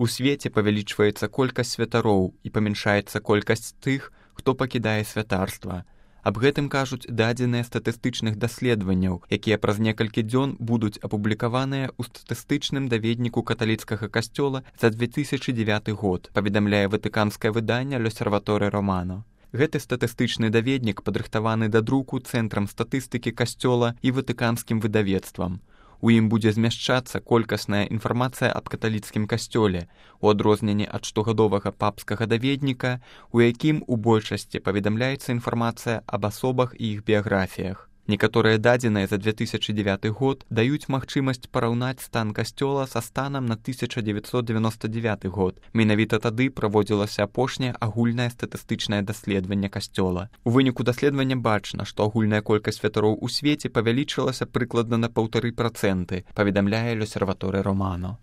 У свеце павялічваецца колькасць святароў і памяншаецца колькасць тых, хто пакідае святарства. Аб гэтым кажуць дадзеныя статыстычных даследаванняў, якія праз некалькі дзён будуць апублікаваныя ў статыстычным даведніку каталіцкага касцёла за 2009 год, паведамляе ватыканскае выданне «L'Osservatore Romano». Гэты статыстычны даведнік падрыхтаваны да друку Цэнтрам статыстыкі касцёла і ватыканскім выдавецтвам. У ім будзе змяшчацца колькасная інфармацыя аб каталіцкім касцёле, у адрозненні ад штогадовага папскага даведніка, у якім у большасці паведамляецца інфармацыя аб асобах і іх біяграфіях. Некаторыя дадзеныя за 2009 год даюць магчымасць параўнаць стан касцёла са станам на 1999 год. Менавіта тады праводзілася апошняе агульнае статыстычнае даследаванне касцёла. У выніку даследавання бачна, што агульная колькасць святароў у свеце павялічылася прыкладна на 1,5%, паведамляе «L'Osservatore Romano».